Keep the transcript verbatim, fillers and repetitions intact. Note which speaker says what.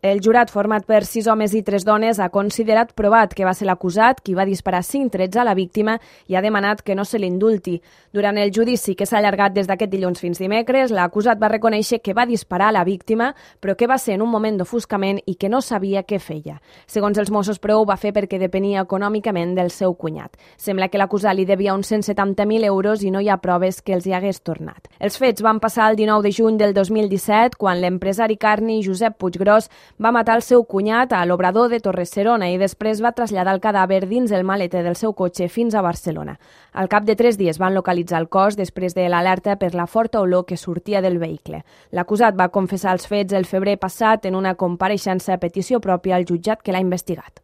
Speaker 1: El jurat, format per sis homes i tres dones, ha considerat provat que va ser l'acusat qui va disparar cinc trets a la víctima i ha demanat que no se l'indulti. Durant el judici, que s'ha allargat des d'aquest dilluns fins dimecres, l'acusat va reconèixer que va disparar a la víctima, però que va ser en un moment d'ofuscament i que no sabia què feia. Segons els Mossos, però ho va fer perquè depenia econòmicament del seu cunyat. Sembla que l'acusat li devia uns cent setanta mil euros i no hi ha proves que els hi hagués tornat. Els fets van passar el dinou de juny del dos mil disset, quan l'empresari carni Josep Puiggròs va matar el seu cunyat a l'Obrador de Torre-serona i després va traslladar el cadàver dins el maleter del seu cotxe fins a Barcelona. Al cap de tres dies van localitzar el cos després de l'alerta per la forta olor que sortia del vehicle. L'acusat va confessar els fets el febrer passat en una compareixença a petició pròpia al jutjat que l'ha investigat.